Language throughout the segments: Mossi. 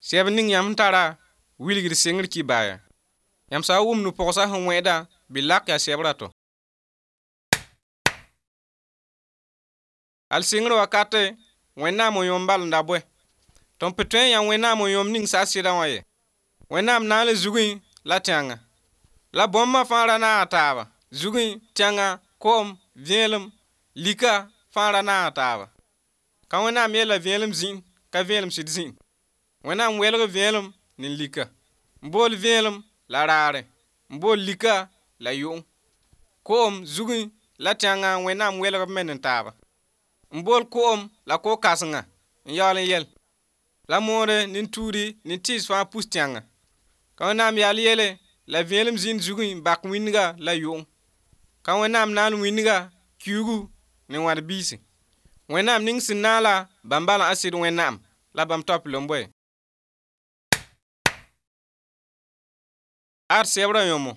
Sɛb ning yãmb sẽn tara wilgd sengr kibaya. Yãmb sã n wʋm no-pogsa sẽn wẽeda, bɩ lak yaa sɛbrã tɔ. Al sengr wakate, Wẽnnaam n yõem bal n da bõe? Tõnd pa tõe n yã Wẽnnaam n yõem ning sa sɩdã wã ye. Wẽnnaam naal zugẽ la tẽngã. La bõmbã fãa ra naaga taaba. Zugẽ, tẽngã, koom, vẽelem, lika fãa ra naaga taaba. Ka Wẽnnaam yeela vẽelem zĩn, ka vẽelem sɩd zĩn. Wẽnnaam welg vẽelem ne lika. N bool vẽelem la raare, n bool lika la yʋng. Koom, zugẽ la tẽngã Wẽnnaam welg b me ne taaba. N bool koom la ko-kãsenga n yaool n yɛl. La moore nin-tuudi nin-tɩɩs fãa pus tẽngã. Ka Wẽnnaam yaal yeele la vẽelem zĩnd zugẽ n bak wĩndga la yʋng. Ka Wẽnnaam naal wĩndga, kiuugu ne wãd-biisi. Wẽnnaam ning sẽn naala bãmb bala a sɩd Wẽnnaam la bãmb taop lomboe. Ad sɛbrã yõmo.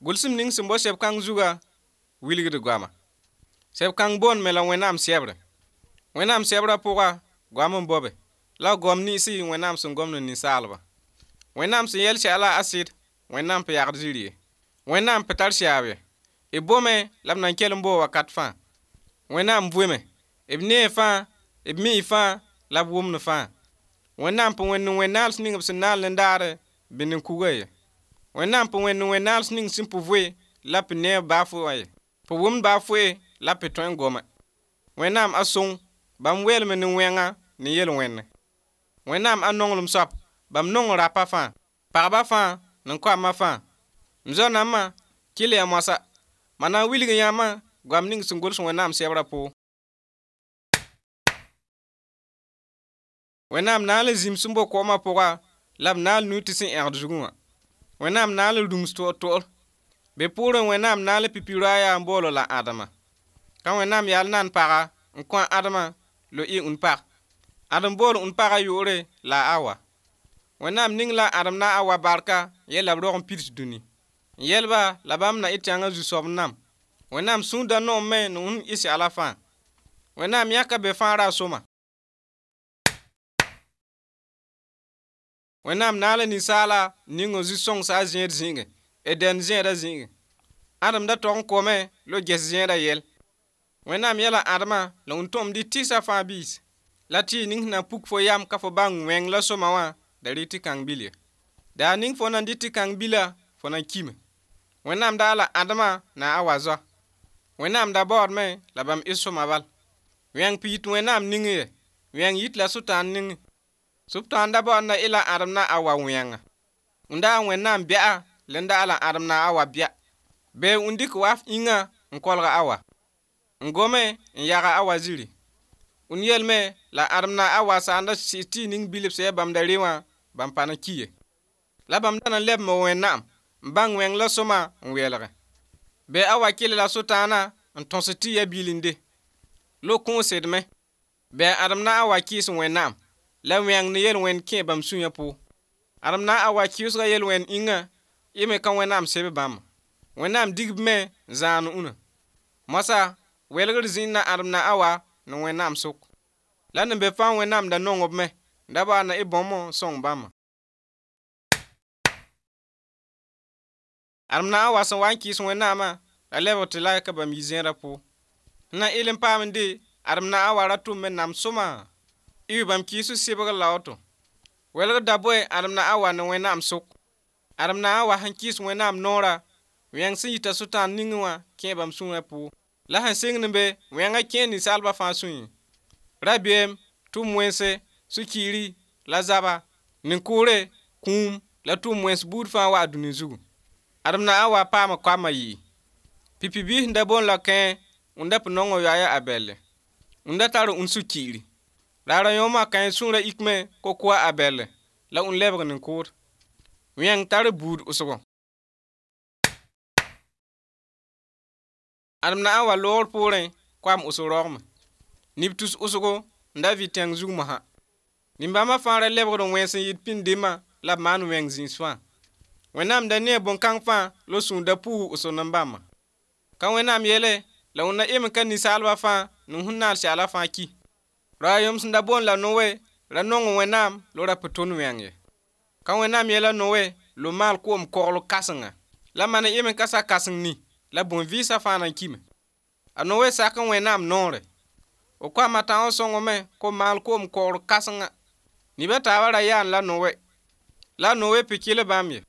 Gʋlsem ning sẽn bao sɛb kãng zuga wilgd goama. Sɛb kãng boond me la Wẽnnaam sɛbre. Wẽnnaam sɛbrã pʋga goam n bao be, la goam niynsi Wẽnnaam sẽn gom ne ninsaalba. Wẽnnaam sẽn yɛl sɛla a sɩd, Wẽnnaam pa yagd zĩri ye. Wẽnnaam pa tar siaab ye. B bome la b nan kell n boo wakat fãa. Wẽnnaam vʋme, b nee fãa, b mii fãa la b wʋmd fãa. Wẽnnaam pa wẽnd wẽn-naals ning b sẽn naal nin-daare bɩ nin-kuga ye. Wẽnnaam pa wẽnd wẽn-naals ning sẽn pa vʋe la pa neeb baa foe wã ye. Pa wʋmd baa foe la pa tõe n gome. Wẽnnaam a sõng, bãmb weelme ne wẽnga ne yel-wẽnde. Wẽnnaam a nonglem soab, bãmb nong rapa fãa, pagba fãa ne koamã fãa. M zoa-nambã, kɩl ya moasã, ma na n wilg yãmbã goam ning sẽn gʋls Wẽnnaam sɛbrã pʋgẽ. Wẽnnaam naal zĩm sẽn bao koomã pʋga la b naal nu tɩ sẽn ẽgd zugẽ wã. Wẽnnaam naal rũms toor-toor. Be pʋʋrẽ Wẽnnaam naal pipi roaaya n bool la Ãdema. Ka Wẽnnaam yaal nan paga n kõ a Ãdema lo y ũn-pag. Ãdem bool ũn-pagã yʋʋre la a Awa. Wẽnnaam ning la Ãdem na a Awa barka n yel la b rog n pids dũni. N yɛl-ba la bãmb na y tẽngã zu-soab n nam. Wẽnnaam sũur da noom me ne wẽnd ɩ sɛla fãa. Wẽnnaam yãka be fãa ra sõma. Wẽnnaam naala ninsaala ning n zu-sõngsa a zẽed zĩigẽ, Eden zẽedã zĩigẽ. Ãdem da tog n kome la ges zẽedã yɛl. Wẽnnaam yɛla Ãdemã la wẽn tõm dɩ tɩsa fãa biis. La tɩ ning sẽn na n puk fo yam ka fo bãng wẽng la sõma wã da rɩ tɩ kãng bil ye. Daar ning fo na n dɩ tɩ kãng bila, fo na n kime. Wẽnnaam daa la Ãdemã na a Awa zoa. Wẽnnaam da baoodme la bãmb ɩ sõma bal. Wẽng pa yit Wẽnnaam ningẽ ye, wẽng yit la Sʋtãan ningẽ. Sʋtãan da baood na ɩ la Ãdem na Awa wẽnga. N daa Wẽnnaam bɛa la n daa la Ãdem na Awa bɛa. Bee n dɩk waf yĩnga n kolg Awa. N gome n yaga Awa zĩri. N yelme la Ãdem na Awa sã n da sɩs tɩ ning bilf sã ya bãmb da re wã, bãmb pa na ki ye. La bãmb da na n lebme Wẽnnaam n bãng wẽng la sõma n welge. Bee Awa kɩl la Sʋtãanã n tõs tɩ ya bilinde. Lo kũus sedme. Bɩ Ãdem na Awa kɩɩs Wẽnnaam la wẽng ne yel-wẽnd kẽ bãmb sũyã pʋgẽ. Ãdem na Awa kɩʋsga yel-wẽnd yĩnga, y me ka Wẽnnaam seb bãmba. Wẽnnaam dig b me n zãan ũnã. Moasã welgr zĩnd na Ãdem na Awa ne Wẽnnaam sʋk. La ne be fãa Wẽnnaam da nong b me, n da baood na y bõmb n sõng bãmba. Ãdem na Awa sẽn wa n kɩɩs Wẽnnaamã la lebg tɩ la ka bãmb yi zẽedã pʋgẽ. N na ɩl n paam n de Ãdem na Awa ra tʋm me nam sõma. Y bãmb kɩɩs sɩbgr la woto. Welgr da boe Ãdem na Awa ne Wẽnnaam sʋk. Ãdem na Awa sẽn kɩɩs Wẽnnaam noorã, wẽng sẽn yita Sʋtãan ningẽ wã kẽ bãmb sũurã pʋgẽ. La sẽn sɩngd n be wẽngã kẽ ninsaalbã fãa sũyẽ. Rabeem, tʋʋm wẽnse, sũ-kiiri la zaba, nin-kʋʋre, kũum la tʋʋm wẽns buud fãa wa dũni zugu. Ãdem na Awa paama koamã yɩɩ. Pipi biis n da boond la kẽe, wẽnda pa nong n yoa a Abɛlle. Wẽnda tar ũn sũ-kiiri. Raara yõomã kãe sũurã ikme ko-koa a Abɛlle la ũn lebg nin-kʋʋd. Wẽng tar buud wʋsgo. Ãdem na Awa loogr poorẽ koam wʋsg roogme. Neb tus wʋsgo n da vɩ tẽng zug mosã. Nin-bãmbã fãa ra lebgd n wẽns n yɩɩd pĩnd-dẽmbã la b maan wẽng zĩis fãa. Wẽnnaam da nee bõn-kãng fãa la sũur da puug wʋsg nin-bãmbã. Ka Wẽnnaam yeele la wẽnd na yem n ka ninsaalbã fãa ne sẽn naal sɛla fãa ki. Ra yõm sẽn da boond la Noe Ra nong Wẽnnaam la ra pa tõnd wẽng ye. Ka Wẽnnaam yɛla Noe lo maal koom kogl kãsenga. La man n ka sa kãseng ni la bõn-vɩɩsã fãa na n kime. A Noe sak n Wẽnnaam noore. O koamã tãoo sõngame ko maal koom kogr kãsenga. Neb a taabã ra yaan la Noe. La Noe pɩ kɩl bãmb ye.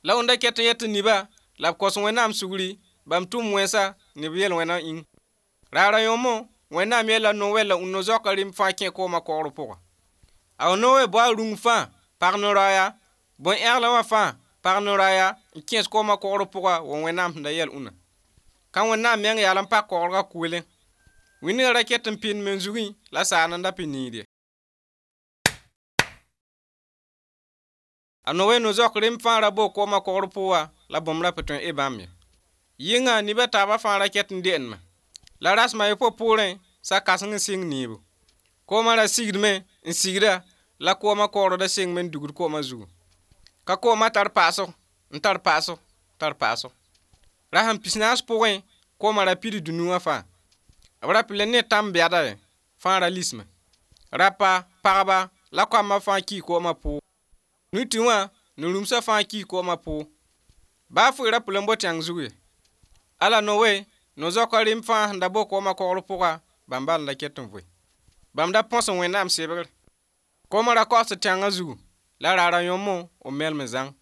La wẽnda ket n yet tɩ neba la b kos Wẽnnaam sugri bãmb tʋm wẽnsa ne b yel-wẽna yĩng. Raara yõmo Wẽnnaam yeela Noe la no-zoaka rẽmb fãa kẽ koomã kogr pʋga. A Noe bao a rũng fãa pag no-raoya, bõn-ẽglã wã fãa pag no-raoya n kẽes koomã kogr pʋga wa Wẽnnaam sẽn da yɛl ũnã. Ka Wẽnnaam meng yaal n pak kogrgã kʋɩlẽ. Wĩndgã ra ket n pɩnd men zugẽ la saand n da pɩ niid ye. A Noe no-zoak rẽmb fãa ra bao koomã kogr pʋga la bõmb ra pa tõe n e bãmb ye. Yɩnga neb a taabã fãa ra ket n de'endme. La rasem a yopoe poorẽ sa kãseng n sɩng neebo. Koomã ra sigdme n sigda la koomã kogr da sengme n dugd koomã zugu. Ka koomã tar paasg n tar paasg tar paasg. Rasem pisnaas pʋgẽ koomã ra pid dũni wã fãa. B ra pɩ le ne tãmb bɛda ye fãa ra lisme. Rapa, pagba la koamã fãa kii koomã pʋʋg. Nuti wã ne rũmsã fãa kii koomã pʋʋg. Baa foe ra pʋ le n bo tẽng zug ye. Ala Noe no-zoaka rẽmb fãa sẽn da bao koomã kogr pʋga bãmb bal n da ket n vʋɩ. Bãmb da põs n Wẽnnaam sebgre. Koomã ra kaoosd tẽngã zugu la raara yõmo b melem zãng.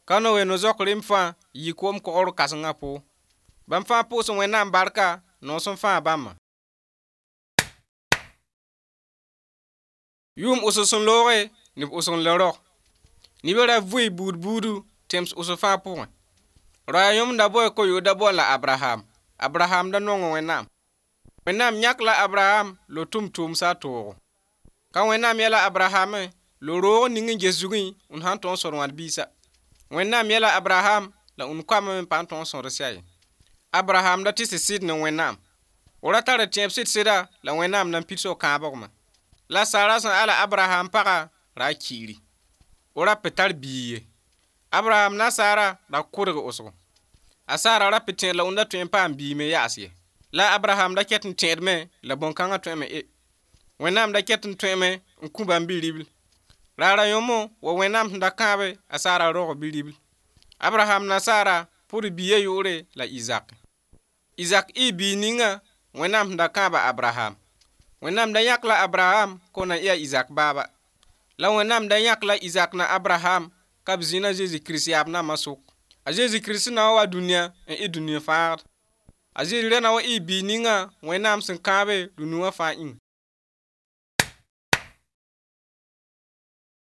Ka Noe no-zoak rẽmb fãa yɩ koom kogr kãsengã pʋʋg. Bãmb fãa pʋʋs Wẽnnaam barka noos n fãa bãmbã. Yʋʋm wʋsg sẽn looge neb wʋsg n le rog. Neb ra vʋɩ buud buudu tẽms wʋsg fãa pʋgẽ. Raoya yõmb da boe ko-yood da bool la Abraham. Abraham da nong Wẽnnaam. Wẽnnaam yãk la Abraham lo tʋm tʋʋmsa a toogo. Ka Wẽnnaam yɛla Abraham lo roog ning n ges zugẽ und sãn tõog n sõd wãd biisa. Wẽnnaam yɛla Abraham la und koamã me pa n tõog n sõd sɛ ye. Abraham da tɩ sɩd ne Wẽnnaam. O ra tar tẽeb sɩd-sɩda la Wẽnnaam na n pids o kãabgmã. La Sara sẽn ala Abraham pagã ra kiiri. O ra pa tar biig ye. Abraham na Sara ra kʋdg wʋsgo. A Sara ra pa tẽed la und tõe n paam biig me yaas ye. La Abraham da ket n tẽedme la bõn-kãngã tõeme e. Wẽnnaam da ket n tõeme n kõ bãmb bi-ribl. Raara yõmo wa Wẽnnaam sẽn da kãabe a Sara rog bi-ribl. Abraham na Sara pʋd biigã yʋʋre la Izak. Izak ɩ biig ninga Wẽnnaam sẽn da kãaba Abraham. Wẽnnaam da yãk la Abraham ko na ɩ a Izak baaba. La Wẽnnaam da yãk la Izak na Abraham ka b zĩna Zeezi Kirist yaab nambã sʋk. A Zeezi Kirist na wa dũniyã n ɩ dũniyã fãagd. A Zeezi ra na wa ɩ biig ninga Wẽnnaam sẽn kãabe dũni wã fãa yĩng.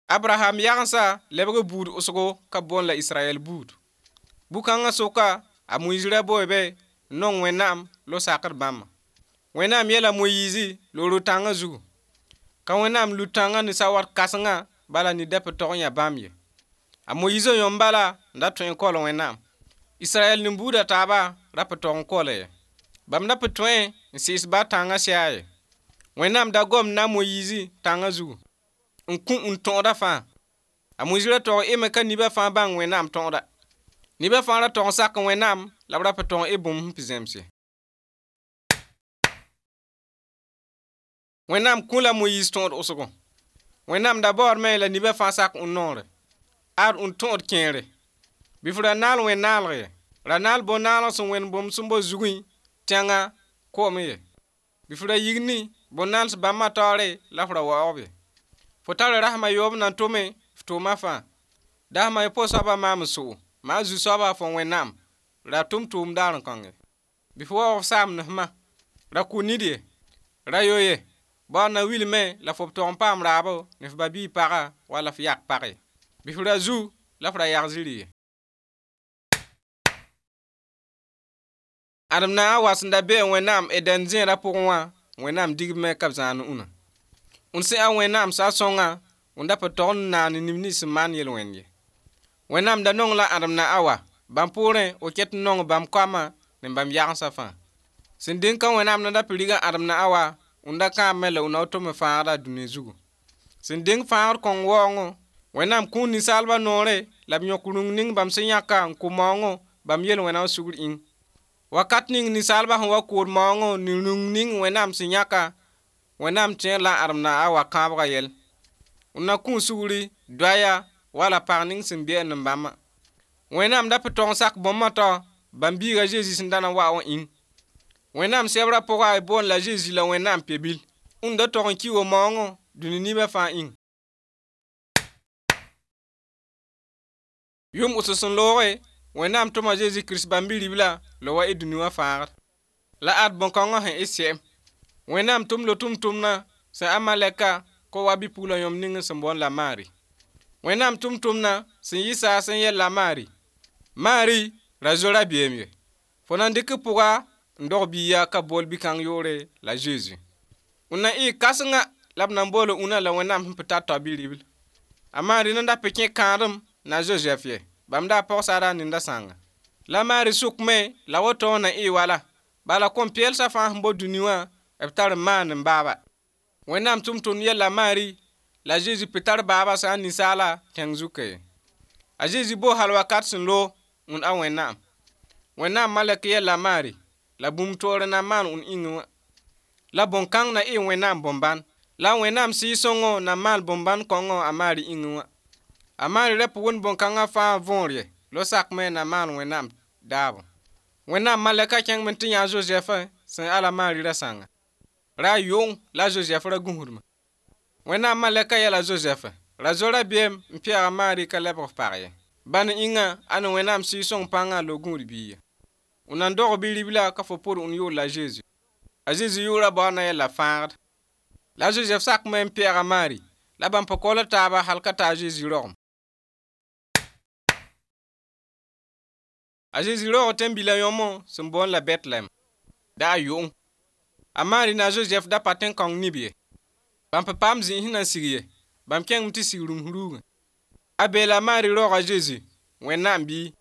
Abraham yagensã lebg buud wʋsgo ka boond la Israyɛl buud. Bu-kãngã sʋka a Moyiis ra boe be n nong Wẽnnaam la sakd bãmbã. Wẽnnaam yɛla Moyiisi la ro-tãngã zugu. Ka Wẽnnaam lu tãngã ne sawat kãsengã bala ned da pa tog n yã bãmb ye. A Moyiisã yõmb bala n da tõe n kaool Wẽnnaam. Israyɛl nin-buudã taaba ra pa tog n kaool ye. Bãmb da pa tõe n sɩɩs ba tãngã sɛa ye. Wẽnnaam da gom na Moyiisi tãngã zugu n kõ n tõoda fãa. A Moyiis ra tog eme ka nibã fãa bãng Wẽnnaam tõoda. Nibã fãa ra tog n sak Wẽnnaam la b ra pa tog n e bũmb sẽn pɩ zẽms ye. Wẽnnaam kõ la Moyiis tõod wʋsgo. Wẽnnaam da baoodme la nibã fãa sak n noore. Ad n tõod kẽere. Bɩ f ra naal wẽn-naalg ye. Ra naal bõn-naalg sẽn wẽnd bũmb sẽn bo zugẽ, tẽngã, koom ye. Bɩ f ra yigni bõn-naals bãmbã taoore la f ra waoog ye. Fo tara rasem a yoob na n tome f tʋʋma fãa. Dasem a yopoe soabã maam n sogo. Maa zu-soaba fo Wẽnnaam ra tʋm tʋʋm daar n kõnge. Bɩ f waoog f saam ne-fmã. Ra kʋ nid ye. Ra yo ye. Baood na wilme la fo b tog n paam raabo ne f ba-biig paga wala f yak pag ye. Bɩ f ra zu la f ra yag zĩri ye. Ãdem na a wa sẽn da be Wẽnnaam Eden zẽedã pʋgẽ wã, Wẽnnaam digb me ka b zãan ũnã. Und sẽn a Wẽnnaam sa sõnga, und da pa tog n naan neb nins sẽn maan yel-wẽnd ye. Wẽnnaam da nong la ãdem na a wa, bãmb poorẽ o ket n nong bãmb koamã ne bãmb yagensã fãa. Sẽn deng ka Wẽnnaam na da pɩ riga ãdem na a wa, und da kãabme la und na tome fãagda dũni zugu. Sẽn deng fãagd kõng waoongo, Wẽnnaam kũun ninsaalbã noore la b yõk rũng ning bãmb sẽn yãka n kʋ maoongo bãmb yel-wẽna wã sugr ĩng. Wakat ning ninsaalbã sẽn wa kood maoongõ ne rũng ning Wẽnnaam sẽn yãka, Wẽnnaam tẽer la ãdem na a wa kãabgã yɛl. Und na kũu sugri doaya wala pag ning sẽn beɛɛnd n bãmbã. Wẽnnaam da pa tog n sak bõmbã tao bãmb biiga a Zezi sẽn da na n wa wã ĩng. Wẽnnaam sɛbrã pʋga y boond la Zezi la Wẽnnaam pe-bil. Und da tog n ki wo-maoongõ dũni nebã fãa ĩng. Yʋʋm wʋsg sẽn looge, Wẽnnaam tʋma Zezi Kirist bãmb bi-ribla la wa y dũni wã fãagd. La ad bõn-kãngã sẽn ɩ se'em. Wẽnnaam tʋm la tʋmtʋmdã sẽn a malɛka kõ wa bi-pugla yõmb ning sẽn boond la Maari. Wẽnnaam tʋmtʋmdã sẽn yi saas n yɛl la Maari: Maari ra zo rabeem ye. Fo na n dɩk pʋga n dog biiga ka bool bi-kãng yʋʋre la Zezi. Und na ɩ kãsenga la b na n boola ũnã la Wẽnnaam sẽn pa tar tao bi-ribl. A Maari nan da pa kẽ kãadem na Zozɛf ye, bãmb daa pɔgsara a nenda sãnga. La Maari sʋkme la woto na ɩ wala. Bala kom-peelsã fãa sẽn bo dũni wã b tar n maan n baaba. Wẽnnaam tʋmtʋmd yɛl la Maari la Zezi pa tar baaba sã n ninsaala tẽng zuka ye. A Zezi boo hal wakat sẽn loog und a Wẽnnaam. Wẽnnaam malɛk yɛl la Maari la bũmb toor na n maan und ĩngẽ wã. La bõn-kãng na ɩ Wẽnnaam bõn-bãn. La Wẽnnaam Sɩɩg-sõngõ na maal bõn-bãn kõngõ a Maari ĩngẽ wã. A Maari ra pa wʋnd bõn-kãngã fãa võor ye, lo sakme na maan Wẽnnaam daabo. Wẽnnaam malɛka kẽngame tɩ yã a Zozɛf sẽn ala Maari ra sãnga. Ra yʋng la Zozɛf ra gũsdme. Wẽnnaam malɛka yɛla Zozɛf ra zo rabeem n pɛɛg a Maari ka lebg f pag ye. Bãn ĩnga a ne Wẽnnaam Sɩɩg-sõng pãngã la gũud biiga. Und na n dog bi-ribla ka fo pʋd und yʋʋr la Zezi. A Zezi yʋʋra baood na yɛl la fãagd. La Zozɛf sakme n pɛɛg a Maari la bãmb pa kaool taaba hal ka ta a Zezi rogem. A Zezi roog tẽn-bilã yõmõ sẽn boond la Bɛtlɛm, da a yʋng. A Maari na a Zozɛf da pa tẽn-kãong neb ye. Bãmb pa paam zĩis na n sig ye, bãmb kẽngame tɩ sig rũms ruugẽ. A beela Maari roog a Zezi, Wẽnnaam bii.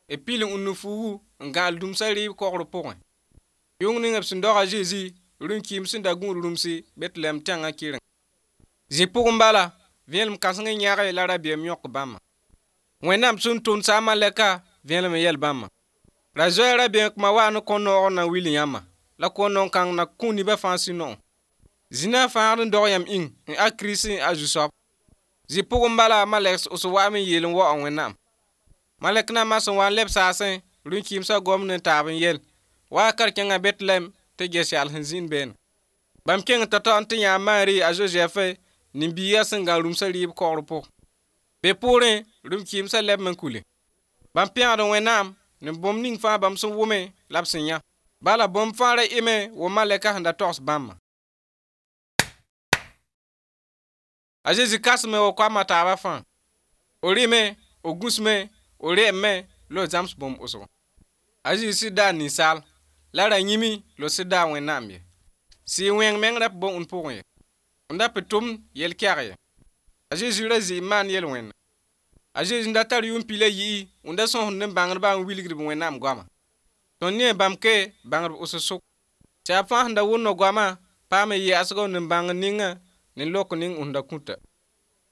B pil n ũnd fuugu n gãal dũmsã rɩɩb kogr pʋgẽ. Yʋng ning b sẽn dog a Zezi rũm-kɩɩm sẽn da gũud rũmsi Bɛtlɛm tẽngã kɩreng. Zĩ pʋgẽ bala, vẽelem kãseng n yãge la rabeem yõk bãmba. Wẽnnaam sẽn tʋmd sa a malɛka vẽelem n yɛl bãmba. Ra zoe rabeem kma wa ne kõn-noog n na n wil yãmba, la kõn-noog kãng na kũ nebã fãa sũ-noog. Zĩnã fãagd n dog yãmb ĩng n a Kirist a Zu-soab. Zĩ pʋgẽ bala malɛk s wa'ame n yeel n waoog Wẽnnaam. Malɛk nambã sẽn wa n leb saasẽ rũm-kɩɩmsã gomd n taab n yel: Wa kar-kẽngã Bɛtlɛm tɩ ges yaal sẽn zĩnd beene. Bãmb kẽng tao-tao n tɩ yã a Maari a Zozɛf ne biiga sẽn gã rũmsã rɩɩb kogr pʋgẽ. Be poorẽ rũm-kɩɩmsã lebme n kule. Bãmb pẽgd Wẽnnaam ne bũmb ning fãa bãmb sẽn wʋme la b sẽn yã. Bala bũmb fãa ra ɩme wo malɛka sẽn da togs bãmbã. A Zezi kãsme wa koamã taabã fãa. O rɩme, o gũsme, o reemame la o zãms bũmb wʋsgo. A Zezi sɩd daa ninsaal, la ra yĩmi la sɩd daa Wẽnnaam ye. Sɩɩg wẽng meng ra pa bo und pʋgẽ ye. Und da pa tʋmd yel-kɛg ye. A Zezi ra zɩ n maan yel-wẽnna. A Zezi n da tar yʋʋm pi la yi'i, und da sõsd nin-bãngdbã n wilgd b Wẽnnaam goama. Tõnd nee bãmb ke bãngd wʋsg sʋk. Tɩ fãa sẽn da wʋnd goamã paam n yɛɛsg nin-bãngr ninga ne lok ning und da kũta.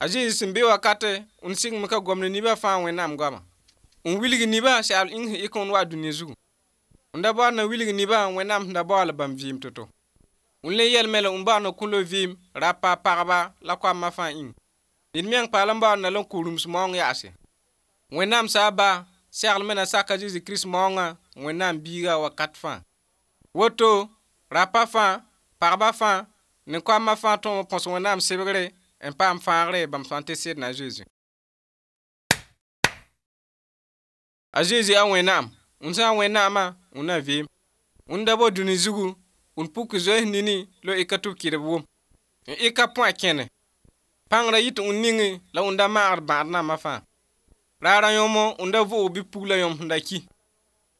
A Zezi sẽn be wakate und sɩngme ka gomd nebã fãa Wẽnnaam goama. N wilg nebã segl ĩng sẽn ɩk n wa dũni zugu. Und da baood na wilg nebã Wẽnnaam sẽn da baool bãmb vɩɩm to-to. Und le yɛlme la und baood na kũ-la vɩɩm rapa pagba la koamã fãa ĩng. Ned meng paal n baood na la n kʋ rũms maoong yaase. Wẽnnaam saa ba seglme na saka Zezi Kirist maoongã Wẽnnaam biiga wakat fãa. Woto rapa fãa, pagba fãa ne koamã fãa tõem n põs Wẽnnaam sebgre n paam fãagre bãmb sã n tɩ sed na Zezi. A Zezi a Wẽnnaam, und sã n Wẽnnaamã, und na vɩɩm. Und da bo dũni zugu, und puk zoees nini la ɩka tɩ b kɩdb wʋm. N ɩka põa kẽne. Pãng ra yit und ningẽ la und da maagd bãad nambã fãa. Raarã yõmo und da vʋʋg bi-pugla yõmb sẽn da ki.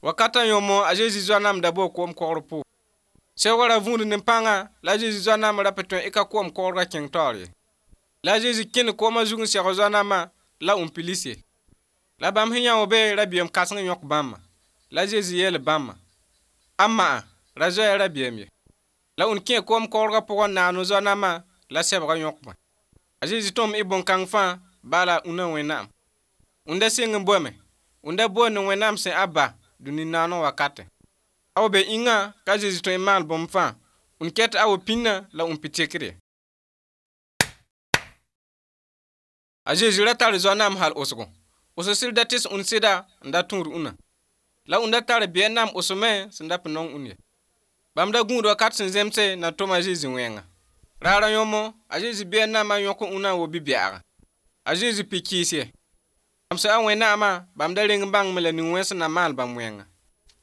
Wakatã yõmo a Zezi zoa-namb da boo koom kogr pʋgẽ. Sɛoogã ra vũud ne pãnga la a Zezi zoa-namb ra pa tõe ɩka koom kogrgã kẽng taoor ye. La a Zezi kẽnd koomã zug n sɛg zoa-nambã la und pilis ye. La bãmb sẽn yã be rabeem kãseng yõk bãmba. La Zezi yeel bãmba: A ma'a ra zoe rabeem ye. La und kẽ koom kogrgã pʋgẽ n naand zoa-nambã la sɛbgã yõkba. A Zezi tõm y bõn-kãng fãa bala ũna Wẽnnaam. Und da seng n boame, und da boond Wẽnnaam sẽn a ba dũni naaneg wakate. A wa be ĩngã ka Zezi tõe n maan bũmb fãa, und ket a wa pĩnã la und pɩ tekr ye. A Zezi ra tar zoa-naam hal wʋsgo. Wʋsg sɩd da tɩs ũnd sɩda n da tũud ũnã. La ũndã tar biɛ-naam wʋsg me sẽn da pa nong ũnd ye. Bãmb da gũud wakat sẽn zemse na tʋm a Zezi wẽnga. Raarã yõmo, a Zezi biɛ-naamã yõk ũnã n wa bi-bɛɛga. A Zezi pɩ kɩɩs ye. Bãmb sã a Wẽnnaamã, bãmb da reng n bãngame la nin-wẽns sẽn na maan bãmb wẽnga.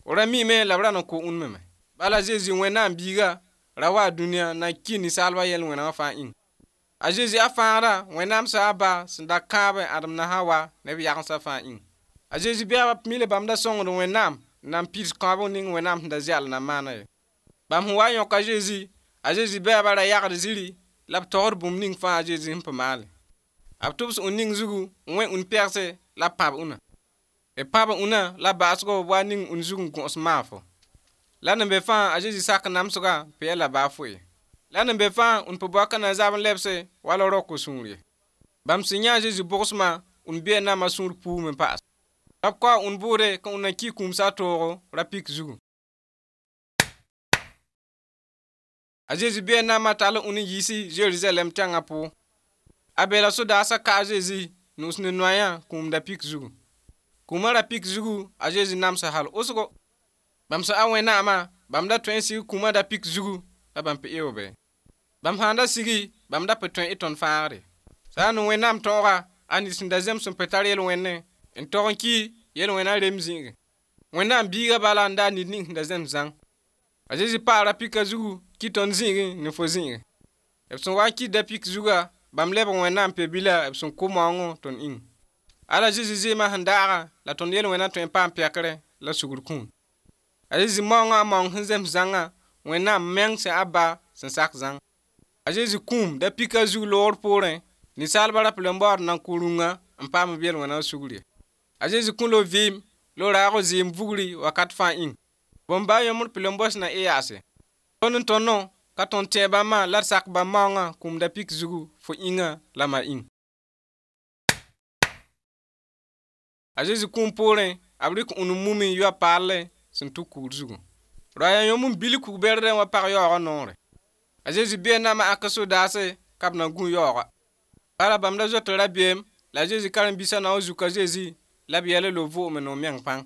O ra miime la b ra na kʋ ũnd me. Bala Zezi Wẽnnaam biiga ra wa dũniyã na n kɩ ninsaalbã yel-wẽna wã fãa ĩng. A Zezi a fãagra Wẽnnaam sã a ba sẽn da kãabe Ãdem na Hawa ne b yagendsã fãa ĩng. A Zezi bɛɛbã mila bãmb da sõngd Wẽnnaam n na n pids kãabg ning Wẽnnaam sẽn da ze'el na maana ye. Bãmb sẽn wa n yõk a Zezi, a Zezi bɛɛbã ra yagd ziri la b togsd bũmb ning fãa a Zezi sẽn pa maale. B tʋbs ũn ning zugu n wẽ ũn pɛgse la b pãb ũnã. B pãba ũnã la baasgo b wa ning ũn zug n gõs maafo. La n be fãa a Zezi sak namsgã pa yɛla baa foe. La n be fãa ũnd pa boaka na zab n lebse wala roko sũur ye. Bãmb sẽn yã a Zezi bʋgsmã, ũnd biɛ-naamã sũur puume paas. La b kao ũnd bʋʋde ka ũnd na kɩ kũumsa toogo ra-pik zugu. A Zezi biɛ-naamã tall ũnd n yiisi Zerizalɛm tẽngã pʋgẽ. A beela sodaasã ka a Zezi nus ne noayã kũum da-pik zugu. Kũumã ra-pik zugu a Zezi namsa hal wʋsgo. Bãmb sã a Wẽnnaamã, bãmb da tõe n sig kũumã da-pik zugu la bãmb pa eoobe. Bãmb sãn da sigi, bãmb da pa tõe y tõnd fãagre. Sã n Wẽnnaam tõoga, a nid sẽn da zems n pa tar yel-wẽnne, n tog n ki yel-wẽna rem zĩige. Wẽnnaam biiga bala n daa nid ning sẽn da zems zãng. A Zezi paa ra-pika zugu kɩ tõnd zĩigẽ ne fo zĩigẽ. B sẽn wa n kɩt da-pik zuga, bãmb lebg Wẽnnaam pe-bila b sẽn kʋ maoongõ tõnd ĩng. Ala Zezi zɩɩmã sẽn daaga la tõnd yel-wẽna tõe n paam pɛkre la sugr kũun. A Zezi maoongã a maoong sẽn zems zãngã, Wẽnnaam meng sẽn a ba sẽn sak zãng. A Zezi kũum da-pika zug loogr poorẽ, ninsaalbã ra pa le n baood n na n kʋ rũngã n paam b yel-wẽna sugr ye. A Zezi kõ lo vɩɩm, la raag zɩɩm vugri wakat fãa ĩng. Bõn-ba yõmd pa le n bos na y yaase. Tõnd n tõno ka tõnd tẽ bãmbã la d sak bãmb maoongã kũum da-pik zugu fo ĩngã la ma ĩng. A Zezi kũum poorẽ, b rɩk ũnd mumi n yoa paalle sẽn tʋk kugr zugu. Roaya yõmb n bil kug-bɛrdẽ wa pag yaoogã noore. A Zezi biɛ-naamã ãk sodaase ka b na gũ yaooga. Bala bãmb da zoet rabeem la a Zezi karen-biisã na n zuk a Zezi la b yɛl lo vʋʋgme no meng pãng.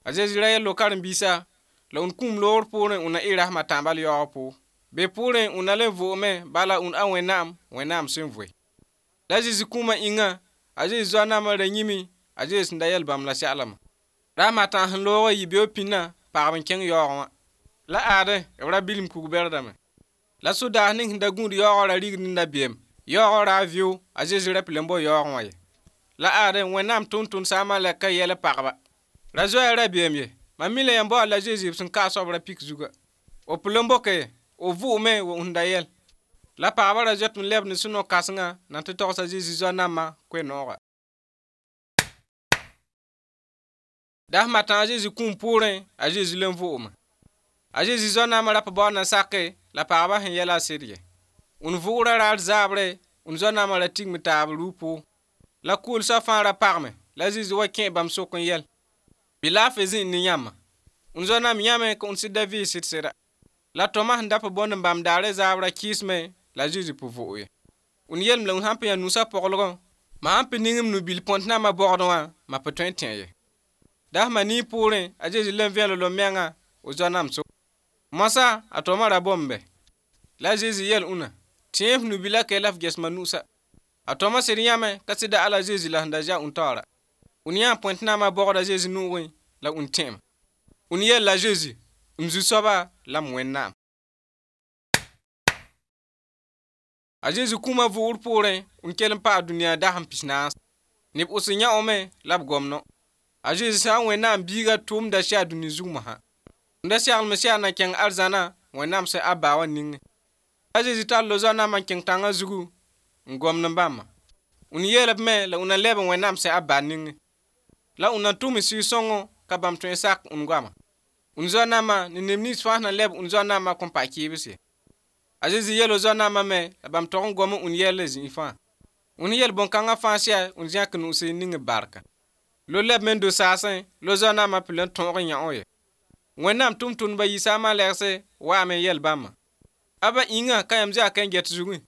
A Zezi ra yɛl karen-biisã la ũnd kũum loogr poorẽ ũnd na ɩ rasem a tãabã yaoog pʋʋg. Be poorẽ ũnd na le vʋʋgme bala ũnd a Wẽnnaam, Wẽnnaam sẽn voe. La Zezi kũumã ĩngã, a Zezi zoa-naamã ra yĩme a Zezi sẽn da yɛl bãmb la seglmã. Rasem a tãag sẽn loog n yɩ beoog pĩnã pagb n kẽng yaoogẽ wã. La aade b ra bilm kug-bɛrdame. La sodaas ning sẽn da gũud yaoogã ra rigd n dabeem. Yaoogã ra vɩʋ, a Zezi ra pa le n bao yaoogẽ wã ye. La aade Wẽnnaam tʋm-tʋmd saamã la ka yɛl pagba. Ra zoeer rabeem ye. Mam mi la yãmb baood la Zezi b sẽn ka a soab ra-pik zuga. B pa le n boke ye, b vʋʋgme wa sẽn da yɛl. La pagba ra zoet n leb ne sũ-no-kãsengã na tɩ togs a Zezi zoa-nambã koe-noogã. Dasem a tãag a Zezi kũum poorẽ, a Zezi le n vʋʋgme. A Zezi zoa-naamã ra pa baood na sake la pagba sẽn yɛla a sɩd ye. Ũnd vʋʋgrã raar zaabre, ũnd zoa-naamã ra tigme taab rug pʋʋg. La kʋʋlsã fãa ra pagme la Zezi wa kẽ bãmb sʋk n yɛl. Bɩ laafɩ zĩnd ne yãmba. Ũnd zoa-naam yãme ka ũnd sɩd da vɩɩ sɩd sɩda. La tõma sẽn da pa bõnd n bãmb daare zaabrã kɩɩsme la Zezi pa vʋʋg ye. Ũnd yelem la ũnd sãn pa yã nusã poglgẽ, ma sãn pa ning m nu-bil põnt-naamã bɔgdẽ wã, ma pa tõe n tẽ ye. Dasem a nii poorẽ, a Zezi le n vẽel l mengã o zoa-naam sʋk. Moasã a tõma ra bõmbe. La a Zezi yɛl ũnã, tẽ f nu-bilã kɛ la f ges ma nu'usã. A tõma sɩd yãme ka sɩda ala Zezi la sẽn da zã ũnd taoora. Ũnd yã põnt-naamã bɔgda Zezi nugẽ la ũnd tẽeme. Ũnd yɛl la Zezi, m zu-soaba la m Wẽnnaam. A Zezi kũumã vʋʋgr poorẽ, n kell n paa dũniyã dasem pis-naas. Neb wʋsg yã-ome la b gomno. A Zezi sã n Wẽnnaam biiga tʋʋmda sɛ a dũni zug mosã. Ũnd da seglem sɛ a na kẽng arzãna Wẽnnaam sẽn a ba wã ningẽ. A Zezi tall zoa-naamã n kẽng tãngã zugu n gomd n bãmba. Ũnd yeel b me la ũnd na leb n Wẽnnaam sẽn a ba ningẽ. La ũnd na tʋm sɩɩg-sõngo ka bãmb tõe n sak ũnd goama. Ũnd zoa-naamã ne neb nins fãa sẽn na leb ũnd zoa-naamã kõn pa kɩɩbs ye. A Zezi yeel zoa-naamã me la bãmb tog n gom n ũnd yɛl zĩig fãa. Ũnd yel bõn-kãngã fãa sɛ ũnd zẽk nu'us ning barka. Lo leb me n do saasẽ, lo zoa-naamã pa le n tõog n yã-o ye. Wẽnnaam tʋm-tʋmdbã yiisa a malɛgse waame n yɛl bãmba. A ba ĩngã ka yãmb zã ka n get zugẽ.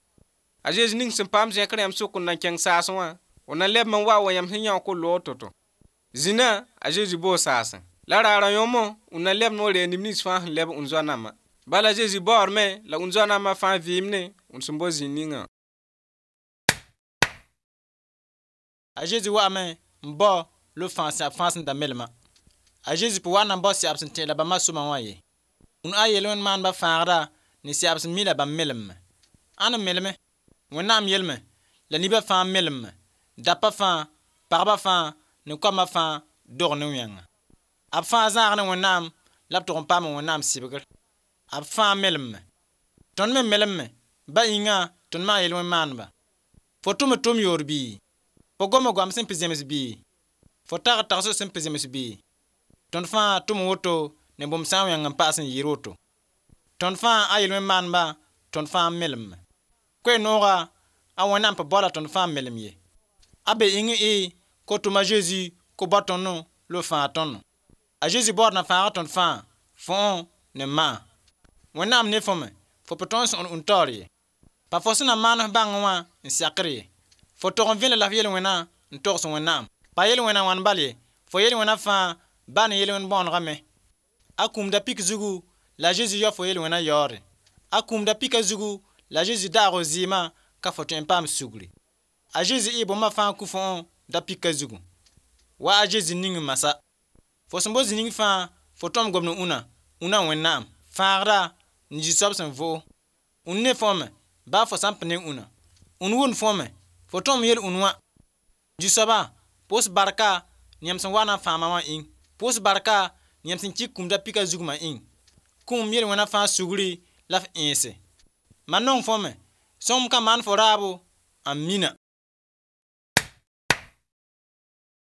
A Zezi ning sẽn paam zẽkr yãmb sʋk n na n kẽng saasẽ wã, W na lɛbm n wa wa yãmb sẽn yão ko-loog to-to. Zĩnã a Zeezi boo saasẽ. La raarã yõmo w na lɛbd n wa reeg neb nins fãa sẽn lɛb n zoa nambã. Bala Zeezi baoodme la n zoa nambã fãa vɩɩmne n sẽn bo zĩig ningã. A Zeezi wa'ame n bao lo fãag sẽab fãa sẽn da melema. A Zeezi pa wa n na n bao sɛab sẽn tẽ la bãmba sõma wã ye. Ũn a yel-wẽn maandbã fãagda ne sɛab sẽn mi la bãmb melemme. Ãn n meleme? Wẽnnaam yelme la nibã fãa melemme, dapa fãa, pagba fãa ne koamã fãa dog ne wẽnga. B fãa zãag ne Wẽnnaam la b tʋg n paam Wẽnnaam sɩbgr. B fãa melemme. Tõnd me melemme, ba yĩnga tõnd maan yel-wẽn maandba. Fo tʋm tʋm yoor bɩ? Fo goma goam sẽn pɩ zems bɩ? Fo tag tagsg sẽn pɩ zems bɩ? Tõnd fãa tʋm woto ne bũmb sã n wẽng n paas n yɩɩr woto. Tõnd fãa a yel-wẽn maandba, tõnd fãa melemme. Koe-nooga a Wẽnnaam pa baoola tõnd fãa melem ye. A be ĩng y ko tʋm a Zeezi ko bao tõnd la b fãag tõndo. A Zeezi baood na fãaga tõnd fãa, fõ ne ma'a. Wẽnnaam ne fo me, fo pa tõe n sõgd ũn taoor ye. Pa fo sẽn na maan f bãngẽ wã n sakr ye. Fo tog n vẽneg la f yel-wẽna n togs Wẽnnaam. Pa yel-wẽna wãn bal ye, fo yel-wẽna fãa ba ne yel-wẽn bõonegã me. A kũumda pik zugu la a Zeezi yao fo yel-wẽna yaoore. A kũumda pika zugu la a Zeezi daag f zɩɩmã ka fo tõe n paam sugri. A Zeezi ɩ bũmba fãa kũ fo da pika zugu. Wa a Zeezi ning masa. Fo sẽn bo zĩ ning fãa fo tõm gomd ũna, ũna Wẽnnaam, fãagda n Zu-soab sẽn voog. Ũn ne fo me, baa fo sã n pa ne ũna. Ũn wʋnd fo me, fo tõm yel ũn wã. Zu-soaba, pʋʋs barka ne yãmb sẽn wa na n fãag wã ĩng. Pʋʋs barka ne yãmb sẽn kɩk kũumda pika zugmã ĩng. Kũum yel-wẽna fãa sugri la f ẽese. Ma nong fo me, sõm ka maan fo raabo, amina.